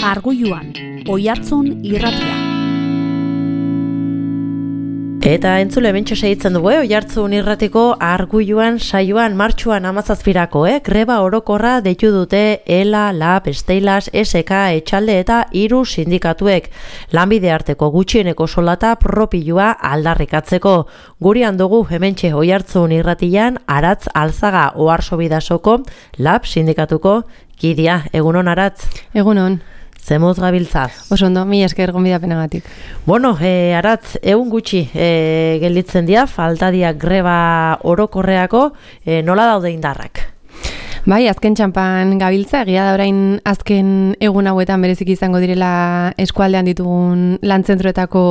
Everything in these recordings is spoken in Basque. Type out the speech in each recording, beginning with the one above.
Arguluan, Oihartzun irratia. Eta entzule bentsa segitzen dugu, Oihartzun irratiko Arguluan saioan martxuan 17 greba orokorra deitu dute ELA, LAB, Steilas, SK, Etxalde eta 3 sindikatuek. Lanbide arteko gutxieneko soldata propioa aldarrikatzeko. Gurean dugu hementxe Oihartzun irratian Aratz Alzaga Oarsobidasoko LAB sindikatuko kidea. Egunon Aratz? Egunon. Zemuz gabiltza. Oso ondo, mila esker gonbidapenagatik. Bueno, Aratz, egun gutxi gelditzen dira, falta dira greba orokorreako, nola daude indarrak? Bai, azken txanpan gabiltza, egia da orain azken egun hauetan bereziki izango direla eskualdean ditugun lantzentroetako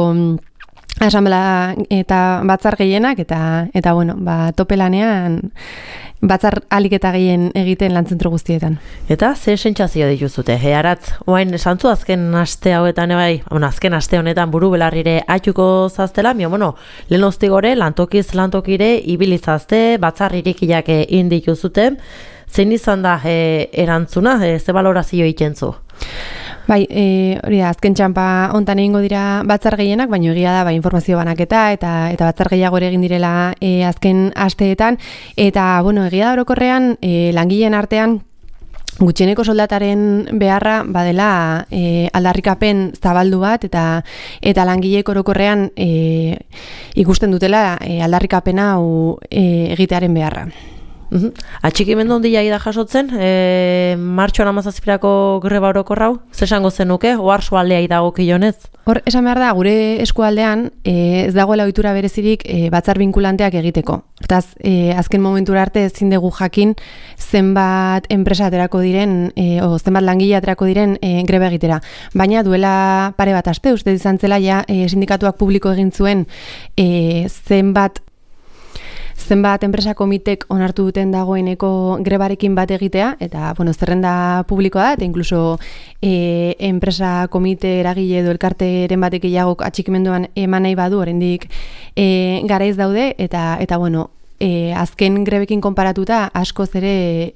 asanblea eta batzar gehienak, eta bueno, tope lanean batzar alik eta gehien egiten lantzentro guztietan. Eta ze sentsazio dituzute? Aratz, oain santzu azken aste hauetan azken aste honetan buru belarrire atxuko zaztela, lehen ostigore lantokiz lantokire ibilizazte, batzar irikiak indituzute. Zein izan da erantzuna, ze balorazio itentzu? Bai, hori da, azken txanpa hontan egingo dira batzar gehienak, baina egia da informazio banaketa eta batzar gehiago ere egin direla azken asteetan, eta egia da orokorrean langileen artean gutxieneko soldataren beharra badela aldarrikapen zabaldu bat eta langileek orokorrean ikusten dutela aldarrikapena hau egitearen beharra. Atxikimendu handia da jasotzen, martxoan 17ko greba orokorrau, zesango zenuke, oharso aldea dago kionez? Hor, esan behar da, gure eskualdean ez dagoela ohitura berezirik batzar binkulanteak egiteko. Hortaz, azken momentura arte ezin dugu jakin zenbat enpresa aterako diren, zenbat langile aterako diren greba egitera. Baina duela pare bat aste, uste izan zela sindikatuak publiko egin zuen zenbat enpresa komitek onartu duten dagoeneko grebarekin bat egitea, eta zerrenda publikoa da, eta inkluso enpresa komite eragile edo elkarteren batek gehiagok atxikimenduan eman nahi badu, oraindik garaiz daude, eta azken grebekin konparatuta askoz ere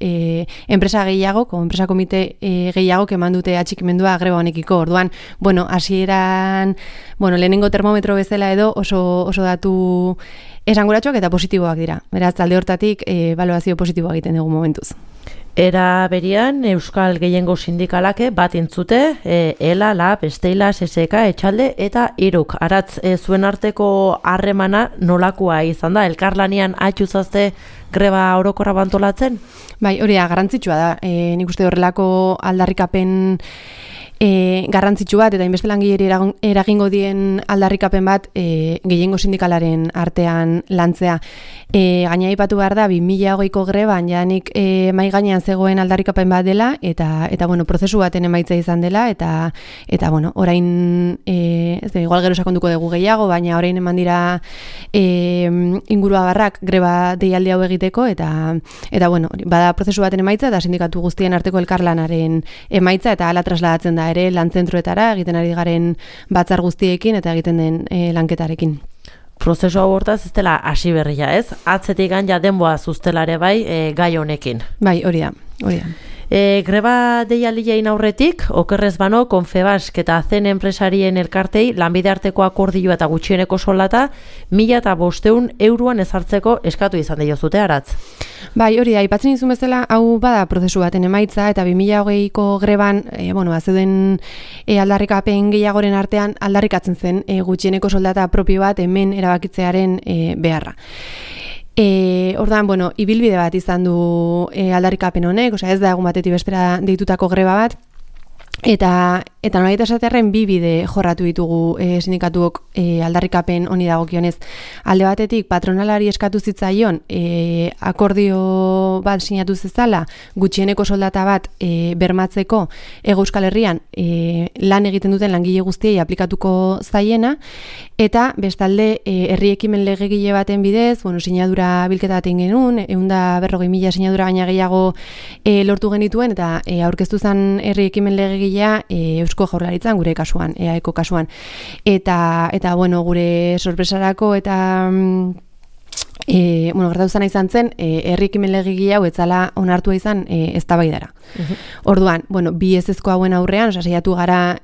enpresa gehiagok, enpresa komite gehiagok eman dute atxikimendua greba honekiko. Orduan, hasieran, lehenengo termometro bezala edo oso datu esanguratsuak eta positiboak dira. Beraz, alde hortatik balorazio positiboa egiten dugu momentuz. Era berian, Euskal Gehiengo Sindikalake bat entzute, ELA, LAB, Steilas, SK, Etxalde eta 3. Aratz, zuen arteko harremana nolakoa izan da? Elkarlanean atxuzazte greba orokorra bantolatzen? Bai, hori da, garrantzitsua da. Nik uste horrelako aldarrikapen garrantzitsu bat, eta inbeste langileri eragingo dien aldarrikapen bat gehiengo sindikalaren artean lantzea. Gaina aipatu behar da, 2020ko greban janik mai gainean zegoen aldarrikapen bat dela, eta prozesu baten emaitza izan dela, eta orain, igual gero sakonduko dugu gehiago, baina orain eman dira ingurua barrak greba deialdi hau egiteko, eta bada prozesu baten emaitza, eta sindikatu guztien arteko elkarlanaren emaitza, eta hala trasladatzen da ere lantzentroetara, egiten ari garen batzar guztiekin eta egiten den lanketarekin. Prozesu hau hortaz ez dela hasi berria, ez? Atzetik ja denboa zuztelare bai gai honekin. Bai, hori da. Greba deialdiain aurretik, okerrez bano, Confebask eta zen enpresarien elkartei lanbide arteko akordioa eta gutxieneko soldata 1.500 euroan ezartzeko eskatu izan diozute, Aratz. Bai, hori da, aipatzen izun bezala, hau bada prozesu baten emaitza, eta 2020ko greban, zeuden aldarrikapen gehiagoren artean aldarrikatzen zen gutxieneko soldata propio bat hemen erabakitzearen beharra. Ordan, ibilbide bat izan du aldarrikapen honek, ez da egun batetik bestera deitutako greba bat, eta nolait esatearren bi bide jorratu ditugu sindikatuok aldarrikapen honi dagokionez. Alde batetik patronalari eskatu zitzaion akordio bat sinatu zezala gutxieneko soldata bat bermatzeko Euskal Herrian lan egiten duten langile guztiei aplikatuko zaiena, eta bestalde herri ekimen legegile baten bidez, sinadura bilketa baten genuen, 140.000 sinadura baina gehiago lortu genituen, eta aurkeztu zen herri ekimen legegilea Eusko Jaurlaritzan, gure kasuan, EAEko kasuan. Eta gure sorpresarako eta gertatu zana izan zen, herri ekimen legegile hau etzala onartua izan eztabaidara. Orduan, bi ezezko hauen aurrean, saiatu gara,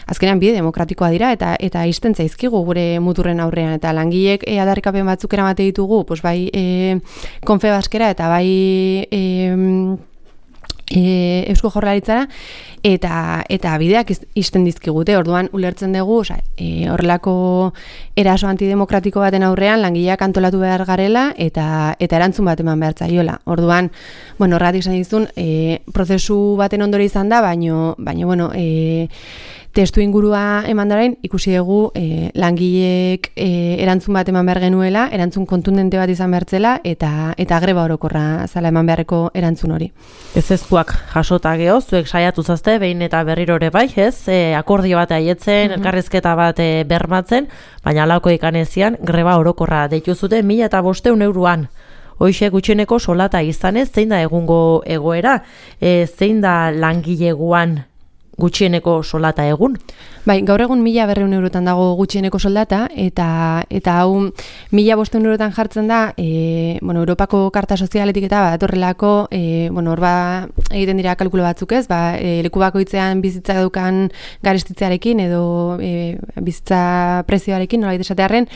azkenean bide demokratikoa dira, eta izten zaizkigu gure muturren aurrean, eta langileek aldarrikapen batzuk eramate ditugu, bai Confebaskera eta bai Eusko Jaurlaritzara, eta bideak izten dizkigute. Orduan ulertzen dugu, horrelako eraso antidemokratiko baten aurrean langileak antolatu behar garela eta erantzun bat eman behar zaiola. Orduan, horregatik esan dizun, prozesu baten ondori izan da, baino testu ingurua eman darain, ikusi dugu langileek erantzun bat eman behar genuela, erantzun kontundente bat izan behartzela, eta greba orokorra zala eman beharreko erantzun hori. Ezezkoak jasota geho, zuek saiatu zazte, behin eta berriro ere bai, akordio bat aietzen, elkarrizketa bat bermatzen, baina lauko ikanezian greba orokorra deitu zuten 1.500 euroan. Hoxe gutxieneko solata izanez, zein da egungo egoera, zein da langileguan gutxieneko solata egun? Bai, gaur egun 1.200 eurotan dago gutxieneko soldata, eta hau 1.500 eurotan jartzen da, Europako Karta Sozialetik eta horrelako, egiten dira kalkulo batzuk ez, leku bakoitzean bizitza dukan garestitzearekin edo bizitza prezioarekin, nolabait esatearren,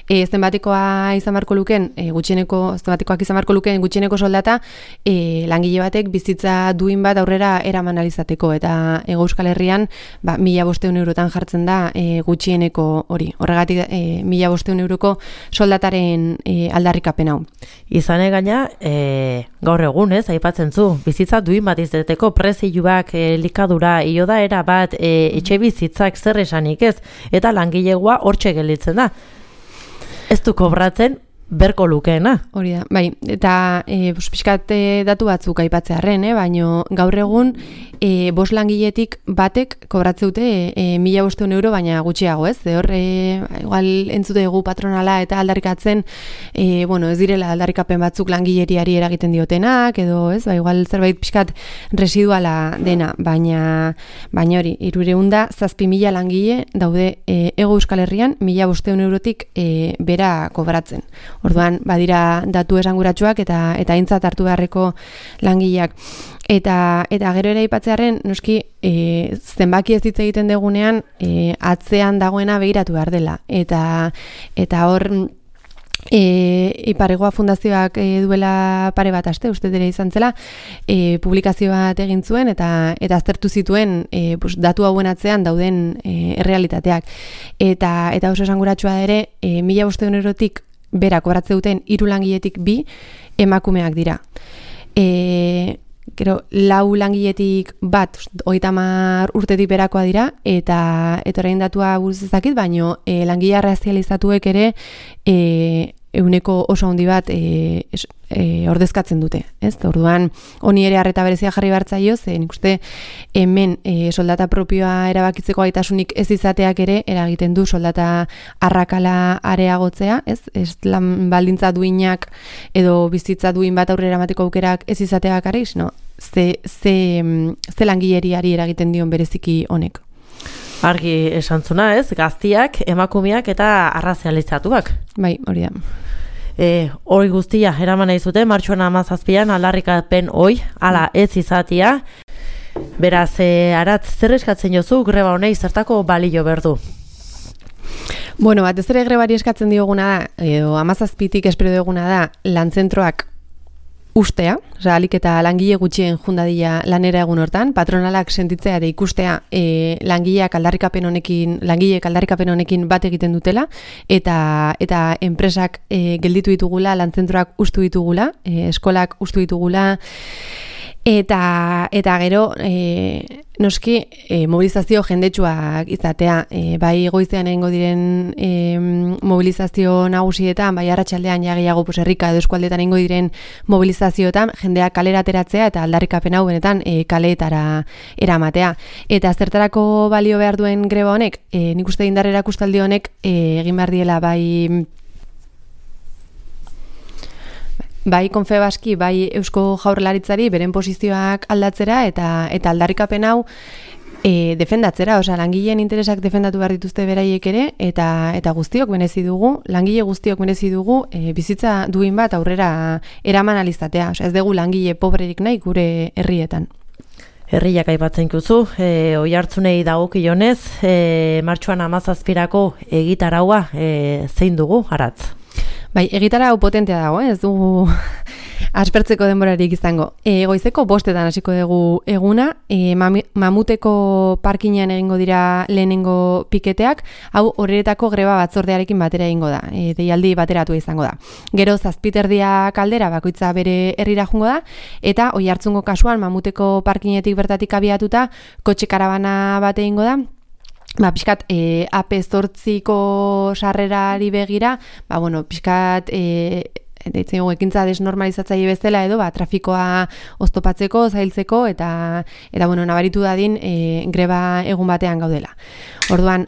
zenbatekoak izan barko luken gutxieneko soldata, langile batek bizitza duin bat aurrera eraman alizateko, eta Euskal Herrian 1.500 eurotan jartzen da gutxieneko hori. Horregatik 1.500 euroko soldataren aldarrikapen hau. Izane gaina, gaur egun aipatzen zu, bizitza duin bat izeteko prezioak likadura ioda era bat etxe bizitzak zer esanik ez, eta langilegoa hortxe gelditzen da. Ez du kobratzen berko lukeena. Hori da, bai, eta pixkat datu batzuk aipatzearren, baino gaur egun 5 langiletik batek kobratze dute 1.500 euro, baina gutxiago, ez? Hor, igual entzute dugu patronala eta aldarrikatzen, ez direla aldarrikapen batzuk langileriari eragiten diotenak, edo, ez? Igual zerbait pixkat residuala dena, baina hori, 307.000 langile daude Hego Euskal Herrian 1.500 eurotik bera kobratzen. Orduan, badira datu esanguratsuak eta aintzat hartu beharreko langileak. Eta gero ere aipatzearren, noski, zenbaki ez hitz egiten degunean, atzean dagoena begiratu behar dela. Eta hor, Iparregoa Fundazioak duela pare bat aste, uste dira izan zela, publikazio bat egin zuen eta aztertu zituen datu hauen atzean dauden errealitateak. Eta oso esanguratsua ere, 1.500 eurotik bera kobratze duten 3 langiletik 2 emakumeak dira. Gero, 4 langiletik bat 30 urtetik berakoa dira, eta orain datua buruz ez dakit, baino langile arrazializatuek ere euneko oso handi bat ordezkatzen dute. Ez? Orduan, honi ere arreta berezia jarri bartzaio, nik uste hemen soldata propioa erabakitzeko gaitasunik ez izateak ere eragiten du soldata arrakala areagotzea, ez lan baldintza duinak edo bizitza duin bat aurrera emateko aukerak ez izatea bakarrik, no? Ze langileriari eragiten dion bereziki honek. Argi esantzuna, ez? Gaztiak, emakumeak eta arrazializatuak. Bai, hori da. Hori guztia, eraman nahi zuten, martxoan 17an aldarrikapen hoi, ala ez izatia. Beraz, Aratz, zer eskatzen jozu greba honei zertako balio berdu? Batez ere grebari eskatzen dioguna da, edo 17tik espero dioguna da, lanzentroak ustea, alik eta langile gutxien jundadila lanera egun hortan, patronalak sentitzea ere ikustea langileek aldarrikapen honekin bat egiten dutela, eta enpresak gelditu ditugula, lanzentroak ustu ditugula, eskolak ustu ditugula, eta gero noski mobilizazio jendetsuak izatea, bai goizean egingo diren mobilizazio nagusietan, bai arratsaldean ja gehiago herrika edo eskualdetan egingo diren mobilizazioetan jendeak kalera ateratzea eta aldarrikapen hau benetan kaleetara eramatea. Eta zertarako balio behar duen greba honek, nik uste indar erakustaldi honek egin behar diela bai Confebaski, bai Eusko Jaurlaritzari beren posizioak aldatzera eta aldarrikapen hau Defendatzera, langileen interesak defendatu behar dituzte beraiek ere, eta guztiok merezi dugu, langile guztiok merezi dugu, bizitza duin bat aurrera eraman alizatea. Ez dugu langile pobrerik nahi gure herrietan. Herriak aipatzen duzu, Oiartzunei dagokionez, martxoan 17rako egitaraua zein dugu, Aratz? Bai, egitarau potentea dago, ez dugu aspertzeko denborarik izango. Goizeko 5:00 hasiko dugu eguna, Mamuteko parkinean egingo dira lehenengo piketeak, hau horretako greba batzordearekin batera egingo da, deialdi bateratua izango da. Gero 7:30 aldera bakoitza bere herrira joango da, eta Oiartzungo kasuan Mamuteko parkinetik bertatik abiatuta kotxe karabana bat egingo da. Pixkat AP8ko sarrerari begira, pixkat deitzen dugu ekintza desnormalizatzaile bezala edo trafikoa oztopatzeko, zailtzeko eta nabaritu dadin greba egun batean gaudela. Orduan,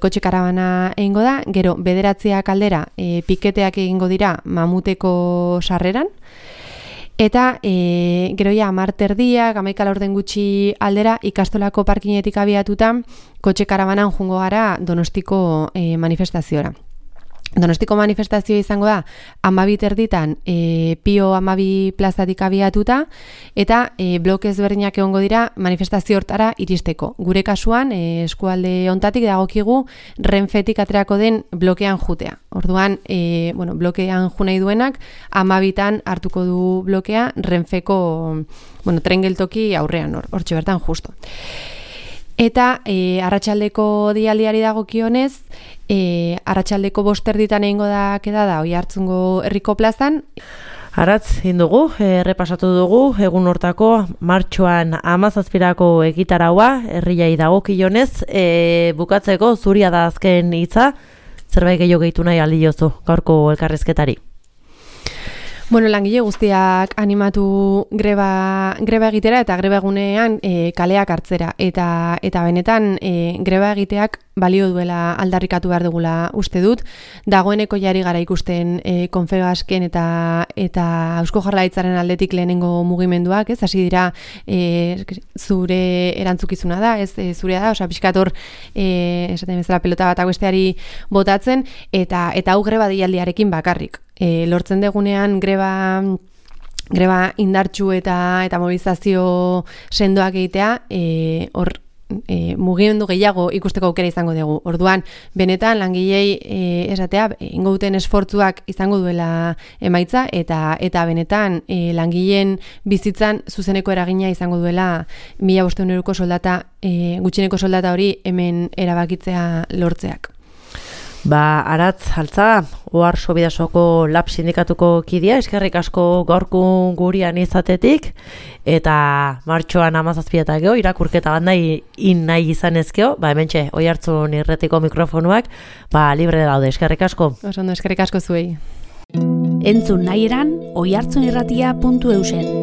kotxe karabana egingo da, gero 9:00 aldera piketeak egingo dira Mamuteko sarreran. Eta gero ja 10:30, 11:00 gutxi aldera ikastolako parkinetik abiatuta kotxe karabanan joango gara Donostiko manifestaziora. Donostiko manifestazioa izango da 12:30 Pio 12 plazatik abiatuta eta bloke ezberdinak egongo dira manifestazio hortara iristeko. Gure kasuan eskualde hontatik dagokigu Renfetik aterako den blokean jutea. Orduan, blokean ju nahi duenak 12tan hartuko du blokea Renfeko tren geltoki aurrean hortxe bertan justo. Eta arratsaldeko deialdiari dagokionez, arratsaldeko 5:30 egingo da kedada Oiartzungo herriko plazan. Aratz, indugu, errepasatu dugu, egun hortako martxoan 17rako egitaraua, herriai dagokionez, bukatzeko zuria da azken hitza, zerbait gehiago gehitu nahi aldiozu gaurko elkarrizketari. Langile guztiak animatu greba egitera eta greba egunean kaleak hartzera. Eta benetan greba egiteak balio duela aldarrikatu behar dugula uste dut. Dagoeneko jari gara ikusten Confebasken eta Eusko Jaurlaritzaren aldetik lehenengo mugimenduak, ez? Hasi dira zure erantzukizuna da, ez zurea da, pixkat hor esaten bezala pelota bat besteari botatzen eta hau greba deialdiarekin bakarrik. Lortzen degunean greba indartsu eta mobilizazio sendoak egitea, hor mugimendu gehiago ikusteko aukera izango dugu. Orduan, benetan langilei esatea ingo duten esfortzuak izango duela emaitza eta benetan langileen bizitzan zuzeneko eragina izango duela 1.500 euroko soldata, gutxieneko soldata hori hemen erabakitzea lortzeak. Aratz Altza, Ohar Sobidasoko Lab sindikatuko kidea, eskerrik asko gaurko gurean izatetik, eta martxoan 17 gero, irakurketa bat nahi izan ezkeo, hementxe, Oiartzun irratiko mikrofonuak, libre daude, eskerrik asko. Oso ondo, eskerrik asko zuei. Entzun nahi eran, oiartzunirratia.eusen.